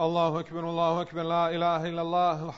الله أكبر لا إله إلا الله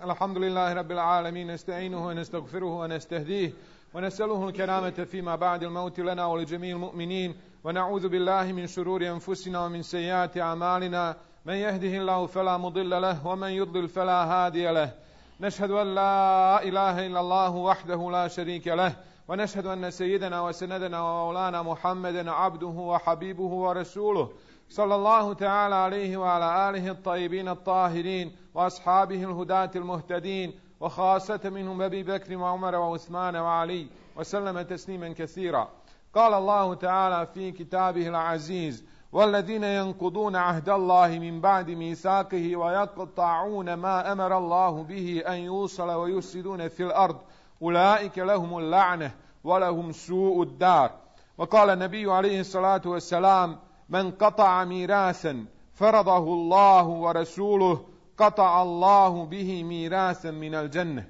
الحمد لله رب العالمين نستعينه ونستغفره ونستهديه ونسأله الكرامة فيما بعد الموت لنا ولجميع المؤمنين ونعوذ بالله من شرور أنفسنا ومن سيئات أعمالنا من يهده الله فلا مضل له ومن يضلل فلا هادي له نشهد أن لا إله إلا الله وحده لا شريك له ونشهد أن سيدنا وسندنا ومولانا محمدا عبده وحبيبه ورسوله صلى الله تعالى عليه وعلى آله الطيبين الطاهرين وأصحابه الهداة المهتدين وخاصة منهم أبي بكر وعمر وعثمان وعلي وسلم تسليما كثيرا. قال الله تعالى في كتابه العزيز: والذين ينقضون عهد الله من بعد ميثاقه ويقطعون ما أمر الله به أن يوصل ويفسدون في الأرض أولئك لهم اللعنة ولهم سوء الدار. وقال النبي عليه الصلاة والسلام: من قطع ميراثا فرضه الله ورسوله قطع الله به ميراثا من الجنة.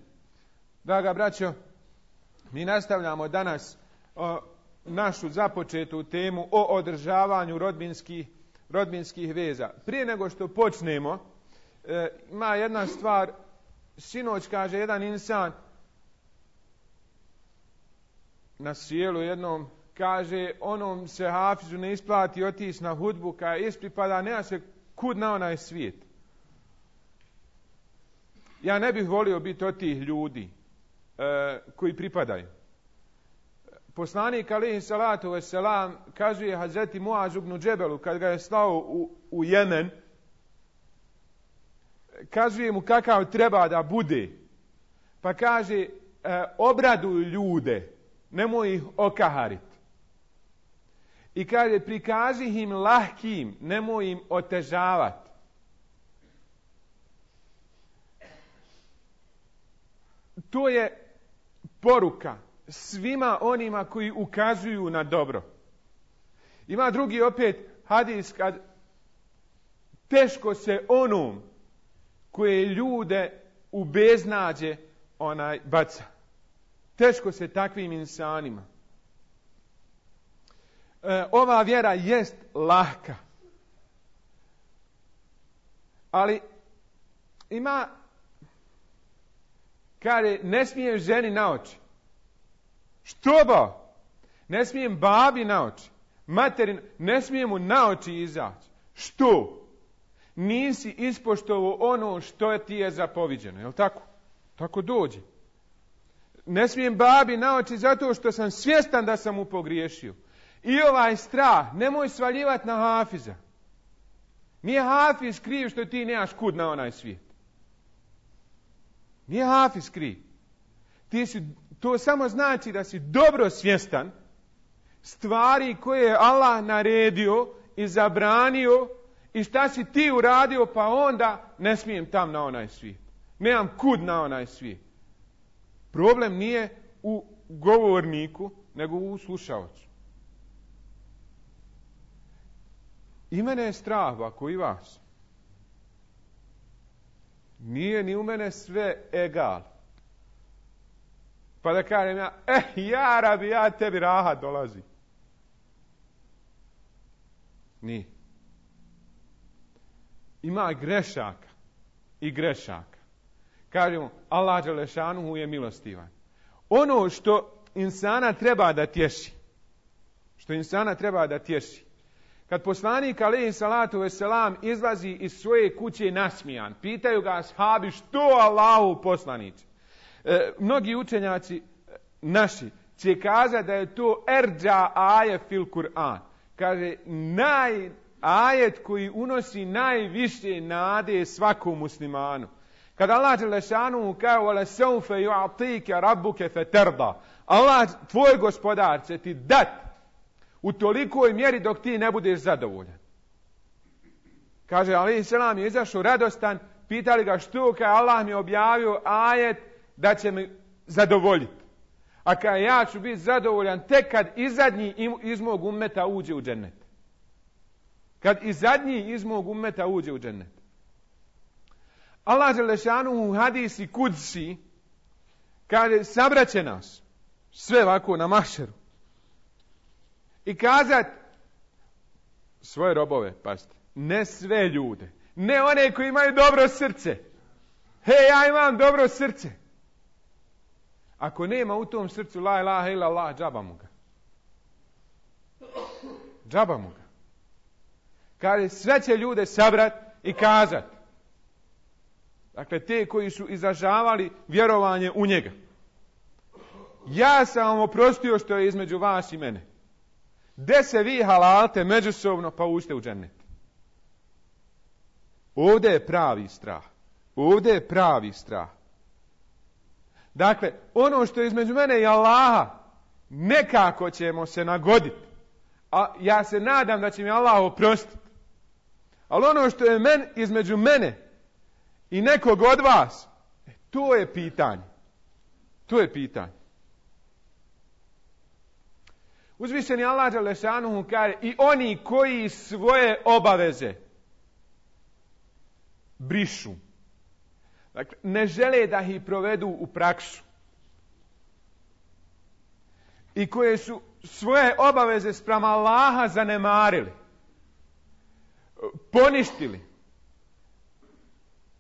Draga braćo, mi nastavljamo danas našu započetu temu o održavanju rodbinskih veza. Prije nego što počnemo, ima jedna stvar. Sinoć kaže jedan insan na sjelu jednom, kaže, onom se hafizu ne isplati otići na hudbu, kada ispripada, nema se kud na onaj svijet. Ja ne bih volio biti od tih ljudi koji pripadaju. Poslanik alejhi salatu vesselam kazuje Hazreti Muazu ibn Džebelu kad ga je slao u Jemen, kazuje mu kakav treba da bude. Pa kaže, obraduj ljude, nemoj ih okahariti. I kaže, prikaži im lahkim, nemoj im otežavati. To je poruka svima onima koji ukazuju na dobro. Ima drugi opet hadis kad teško se onom koje ljude u beznađe baca. Teško se takvim insanima. Ova vjera jest lahka. Ali ima, kaže, ne smijem ženi na oči. Što ba? Ne smijem babi na oči. Materin, ne smijem mu na oči izaći. Što? Nisi ispoštovao ono što ti je zapoviđeno. Jel tako? Tako dođe. Ne smijem babi na oči zato što sam svjestan da sam mu pogriješio. I ovaj strah, nemoj svaljivati na hafiza. Nije hafiz kriv što ti nemaš kud na onaj svijet. Nije hafiz kriv. To samo znači da si dobro svjestan stvari koje je Allah naredio i zabranio i šta si ti uradio, pa onda ne smijem tam na onaj svijet. Nemam kud na onaj svijet. Problem nije u govorniku, nego u slušaocu. I mene je strah, ako i vas. Nije ni u mene sve egal. Pa da kažem ja, ja rabi, ja tebi rahat dolazi. Nije. Ima grešaka i grešaka. Kažemo, Allah dželešanuhu je milostivan. Ono što insana treba da tješi, kad poslanik alejhi salatu vesselam izlazi iz svoje kuće nasmijan, pitaju ga ashabi, što Allahu poslanici? Mnogi učenjaci naši će kazati da je to erđa aje fil Kur'an. Kaže, ajet koji unosi najviše nade svakom muslimanu. Kad Allah dželešanu kaže, wala sawfa yu'tika rabbuka fatarda. Allah, tvoj gospodar, će ti dati u tolikoj mjeri dok ti ne budeš zadovoljan. Kaže, alejhi selam je izašao radostan, pitali ga što, kaže, Allah mi je objavio ajet da će me zadovoljiti. A kaže, ja ću biti zadovoljan tek kad i zadnji iz mog ummeta uđe u džennet. Kad i zadnji iz mog ummeta uđe u džennet. Allah dželešanu u hadisi kudsi kaže, sabraće nas sve ovako na mahšeru i kazat svoje robove, pazite, Ne sve ljude. Ne one koji imaju dobro srce. Hej, ja imam dobro srce. Ako nema u tom srcu la ilaha illallah, džaba mu ga. Džaba mu ga. Kaže, sve će ljude sabrat i kazat. Dakle, te koji su izražavali vjerovanje u njega. Ja sam vam oprostio što je između vas i mene. De se vi halalte međusobno, pa uđite u džennet. Ovdje je pravi strah. Ovdje je pravi strah. Dakle, ono što je između mene i Allaha, nekako ćemo se nagoditi. A ja se nadam da će mi Allah oprostiti. Ali ono što je između mene i nekog od vas, to je pitanje. To je pitanje. Uzvišeni Allah dželešanuhu kaže, i oni koji svoje obaveze brišu. Dakle, ne žele da ih provedu u praksu. I koje su svoje obaveze spram Allaha zanemarili. Poništili.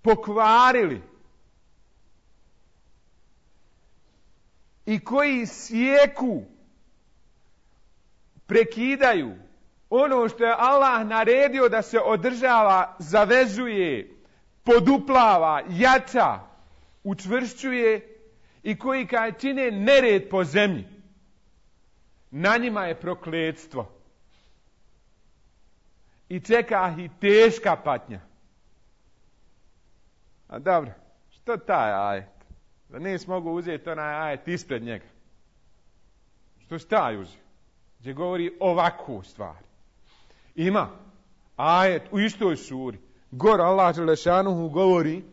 Pokvarili. I koji sjeku, prekidaju ono što je Allah naredio da se održava, zavezuje, poduplava, jača, učvršćuje i koji kad čine nered po zemlji, na njima je prokletstvo. I čeka ih teška patnja. A dobro, što taj ajet? Da nis mogu uzeti onaj ajet ispred njega. Što si taj uzeo? Gdje govori ovakvu stvar. Ima ajet u istoj suri. Gor Allah dželešanuhu govori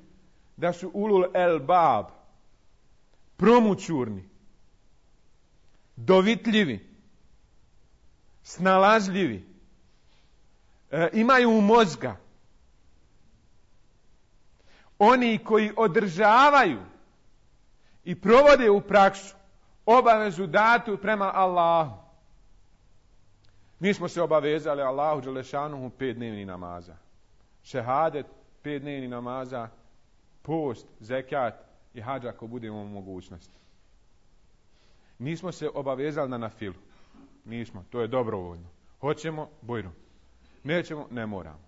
da su ulul elbab, promućurni, dovitljivi, snalažljivi, imaju mozga. Oni koji održavaju i provode u praksu obavezu datu prema Allahu. Mi smo se obavezali Allahu dželešanuhu 5 dnevnih namaza. Šehadet, 5 dnevnih namaza, post, zekat i hadž ako budemo u mogućnosti. Nismo se obavezali na nafilu. Nismo, to je dobrovoljno. Hoćemo, bujno. Nećemo, ne moramo.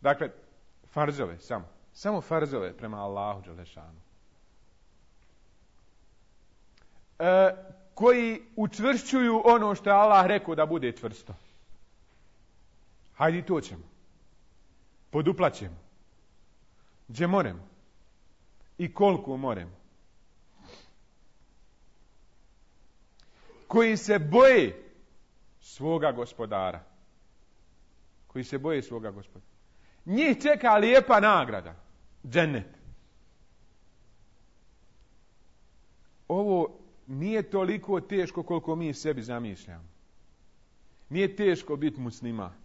Dakle, farzove samo. Samo farzove prema Allahu dželešanu. Koji učvršćuju ono što je Allah rekao da bude čvrsto. Hajde i to ćemo. Poduplaćemo. Gdje moremo. I koliko moremo. Koji se boje svoga gospodara. Koji se boje svoga gospodara. Njih čeka lijepa nagrada. Džennet. Ovo nije toliko teško koliko mi sebi zamišljamo. Nije teško biti musliman.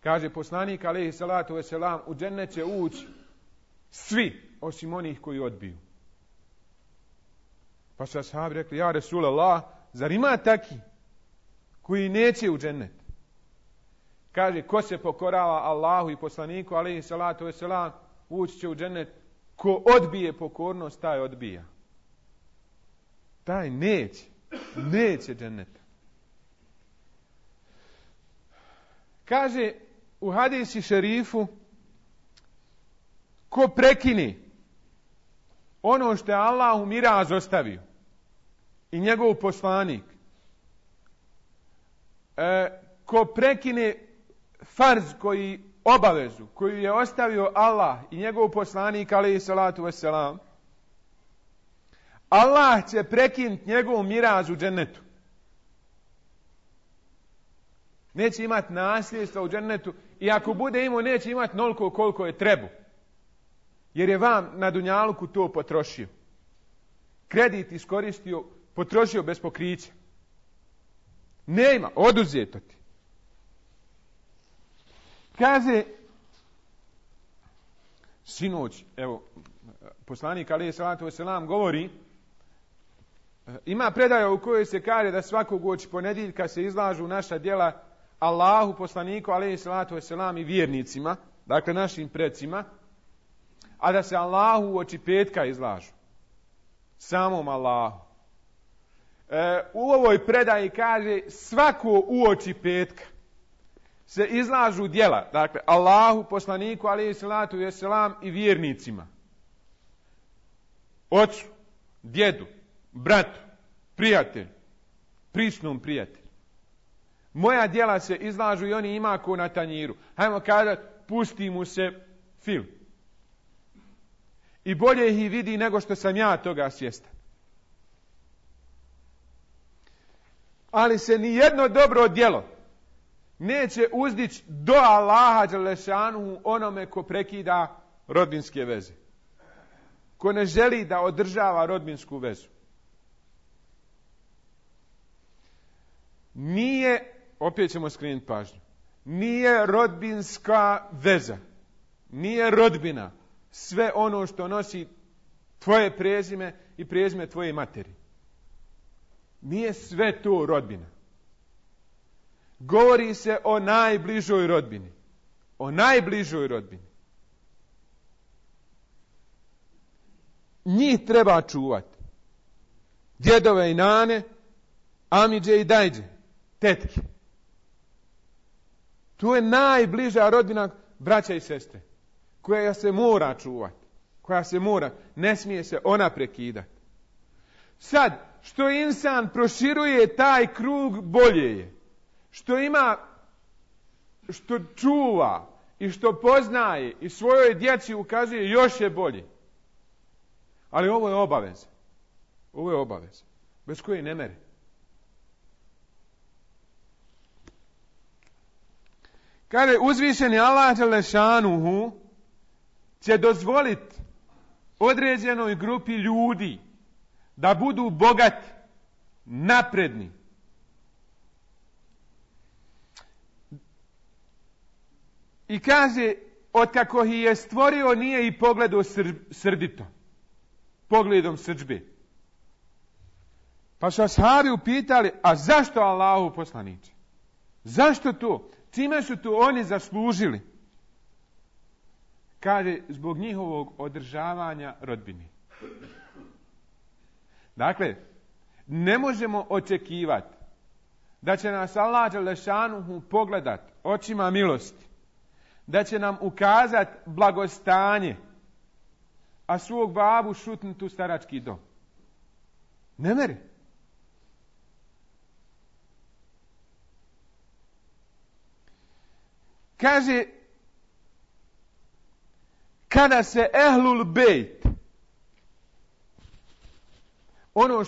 Kaže poslanik alejhi salatu vesselam, u džennet će ući svi osim onih koji odbiju. Pa su ashabi rekli, ja Resulallah, zar ima taki koji neće u džennet? Kaže, ko se pokorava Allahu i poslaniku alejhi salatu vesselam, ući će u džennet. Ko odbije pokornost, taj odbija. Taj neće dženneta. Kaže u hadisi šerifu, ko prekini ono što je Allah u miraz ostavio i njegov poslanik, ko prekine farz obavezu koju je ostavio Allah i njegov poslanik alejhi salatu vesselam, Allah će prekinuti njegov miraz u džennetu. Neće imati nasljedstva u džennetu i ako bude imao, neće imati noliko koliko je trebu. Jer je vam na dunjaluku to potrošio. Kredit iskoristio, potrošio bez pokrića. Nema, oduzeto ti. Kaže, sinoć, evo, poslanik alejhi salatu vesselam govori, ima predaja u kojoj se kaže da svakog uoči ponedjeljka se izlažu naša djela Allahu, poslaniku, alejhi salatu vesselam i vjernicima, dakle našim precima, a da se Allahu u oči petka izlažu. Samom Allahu. U ovoj predaji kaže svako u oči petka se izlažu djela, dakle Allahu, poslaniku, alejhi salatu vesselam i vjernicima. Ocu, djedu, bratu, prijatelju, prisnom prijatelju. Moja djela se izlažu i oni ima ko na tanjiru. Hajmo kazati, pusti mu se film. I bolje ih vidi nego što sam ja toga svjestan. Ali se ni jedno dobro djelo neće uzdići do Allaha dželešanuhu onome ko prekida rodbinske veze. Ko ne želi da održava rodbinsku vezu. Nije, opet ćemo skrenuti pažnju, nije rodbinska veza, nije rodbina sve ono što nosi tvoje prezime i prezime tvoje materi. Nije sve to rodbina. Govori se o najbližoj rodbini. O najbližoj rodbini. Njih treba čuvati. Djedove i nane, amidže i dajđe, tetke. To je najbliža rodbina, braća i sestre, koja se mora čuvati. Koja se mora, ne smije se ona prekidati. Sad, što insan proširuje taj krug, bolje je. Što ima, što čuva i što poznaje i svojoj djeci ukazuje, još je bolje. Ali ovo je obaveza. Ovo je obaveza. Bez koje ne mere. Kaže, uzvišeni Allah dželešanuhu će dozvoliti određenoj grupi ljudi da budu bogati, napredni. I kaže, otkako ih je stvorio, nije i pogledao srdito. Pogledom srdžbe. Pa su ashabi upitali, a zašto Allahu poslaniče? Zašto to? Čime su to oni zaslužili? Kaže, zbog njihovog održavanja rodbine. Dakle, ne možemo očekivati da će nas Allah dželešanuhu pogledati očima milosti, da će nam ukazati blagostanje, a svog babu šutnuti u starački dom. Ne mere. Kaže, kada se ehlul bejt, ono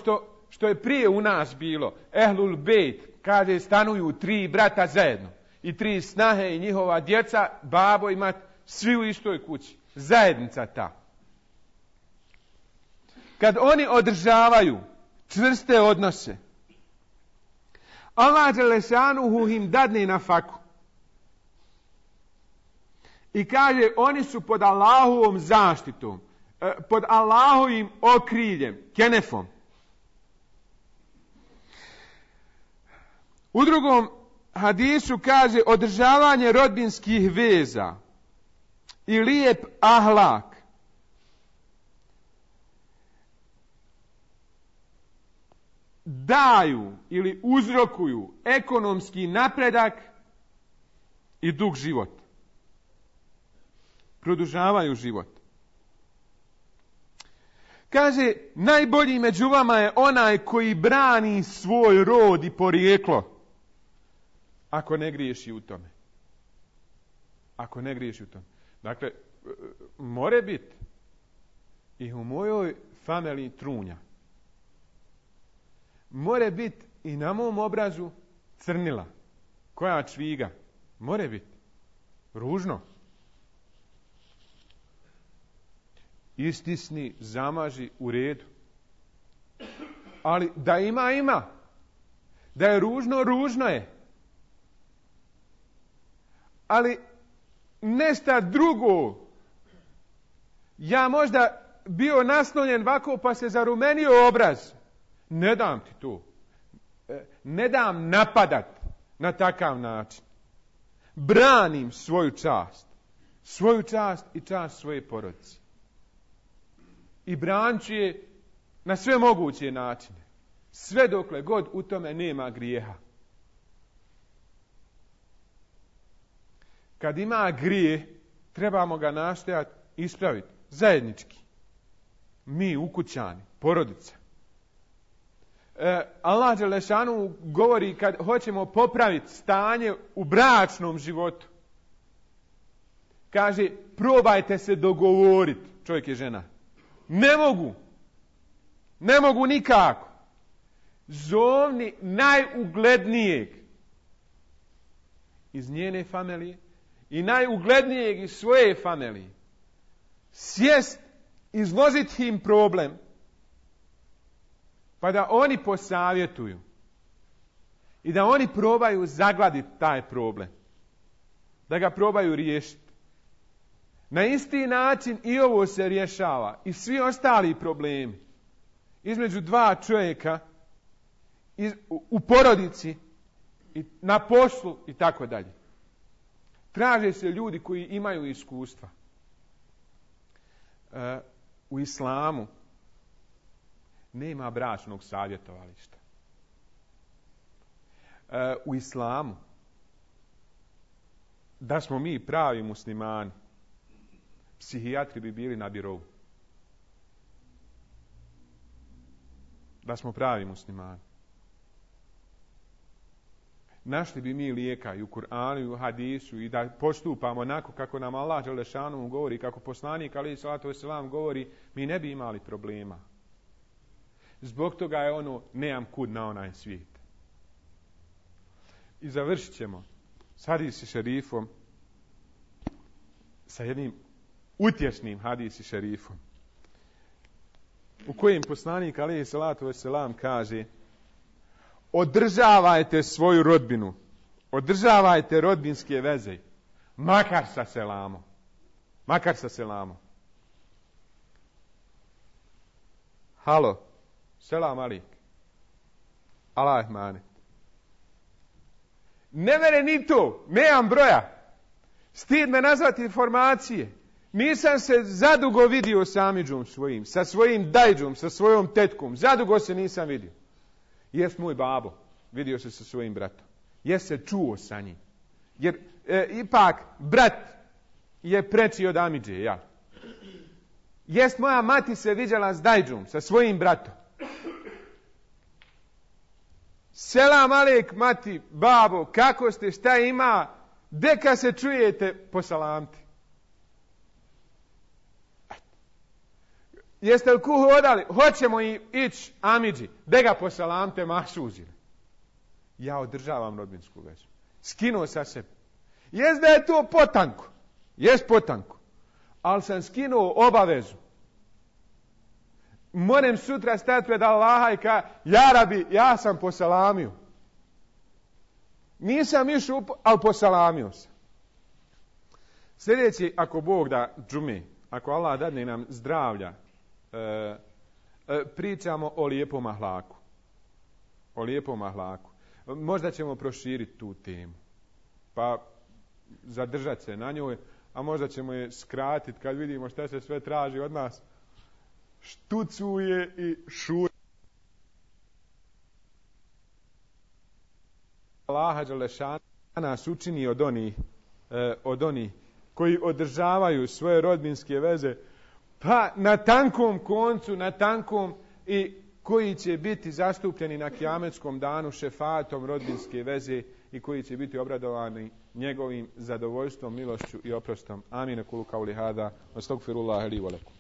što je prije u nas bilo, ehlul bejt, kaže, stanuju 3 brata zajedno i 3 snahe i njihova djeca, babo i mat, svi u istoj kući. Zajednica ta. Kad oni održavaju čvrste odnose, Allah dželešanuhu im dadne na faku. I kaže, oni su pod Allahovom zaštitom, pod Allahovim okriljem, kenefom. U drugom hadisu kaže, održavanje rodbinskih veza i lijep ahlak daju ili uzrokuju ekonomski napredak i dug život. Produžavaju život. Kaže, najbolji među vama je onaj koji brani svoj rod i porijeklo. Ako ne griješi u tome. Ako ne griješi u tome. Dakle, more biti i u mojoj familiji trunja. More biti i na mom obrazu crnila. Koja čviga. More biti. Ružno. Istisni, zamaži, u redu. Ali da ima. Da je ružno, ružno je. Ali nešta drugo. Ja možda bio naslonjen ovako pa se zarumenio obraz. Ne dam ti to. Ne dam napadat. na takav način. Branim svoju čast i čast svoje porodice. I branit ću je na sve moguće načine. Sve dokle god u tome nema grijeha. Kad ima grijeh, trebamo ga nastojati ispraviti zajednički. Mi, ukućani, porodica. Allah dželešanu govori kad hoćemo popraviti stanje u bračnom životu. Kaže, probajte se dogovoriti, čovjek i žena. Ne mogu nikako. Zovni najuglednijeg iz njene familije i najuglednijeg iz svoje familije. Sjest, izložiti im problem, pa da oni posavjetuju i da oni probaju zagladiti taj problem, da ga probaju riješiti. Na isti način i ovo se rješava i svi ostali problemi između dva čovjeka u porodici i na poslu i tako dalje. Traže se ljudi koji imaju iskustva. U islamu nema bračnog savjetovališta. U islamu, da smo mi pravi muslimani, psihijatri bi bili na birovu. Da smo pravi muslimani. Našli bi mi lijeka i u Kur'anu i u hadisu i da postupamo onako kako nam Allah dželešanu govori, kako poslanik alejhi salatu vesselam govori, mi ne bi imali problema. Zbog toga je ono, nemam kud na onaj svijet. I završit ćemo s hadisi šerifom, sa jednim utješnim hadisi šerifom, u kojem poslanik alejhi salatu vesselam kaže: održavajte svoju rodbinu, održavajte rodbinske veze, makar sa selamom. Halo, selam alik, Allah manet. Ne mene ni to, nemam broja. Stid me nazvati informacije. Nisam se zadugo vidio s amidžom svojim, sa svojim dajđom, sa svojom tetkom. Zadugo se nisam vidio. Jest moj babo, vidio se sa svojim bratom. Jest se čuo sa njim. Jer ipak brat je preči od amidže, ja. Jest moja mati se viđala s dajđom, sa svojim bratom. Selam alejk mati, babo, kako ste, šta ima? Deka se čujete, posalamti. Jeste li kuhu odali? Hoćemo ići amidži. De ga posalamte, mašužili. Ja održavam rodbinsku vezu. Skinuo sa sebe. Jest da je to potanko. Jest potanko. Ali sam skinuo obavezu. Moram sutra stati pred Allaha i ka, ja Rabi, ja sam posalamio. Nisam išao, ali posalamio sam. Sljedeći, ako Bog da džume, ako Allah dadne nam zdravlja, pričamo o lijepom ahlaku. O lijepom ahlaku. Možda ćemo proširiti tu temu. Pa zadržati se na njoj, a možda ćemo je skratiti kad vidimo šta se sve traži od nas. Štucuje i šuje. Allah dželešanu nas učini od onih koji održavaju svoje rodbinske veze, pa na tankom koncu, na tankom, i koji će biti zastupljeni na kijametskom danu šefatom rodbinske veze i koji će biti obradovani njegovim zadovoljstvom, milošću i oprostom. Amin. Kulu kauli hada, astagfirullaha li wa lakum.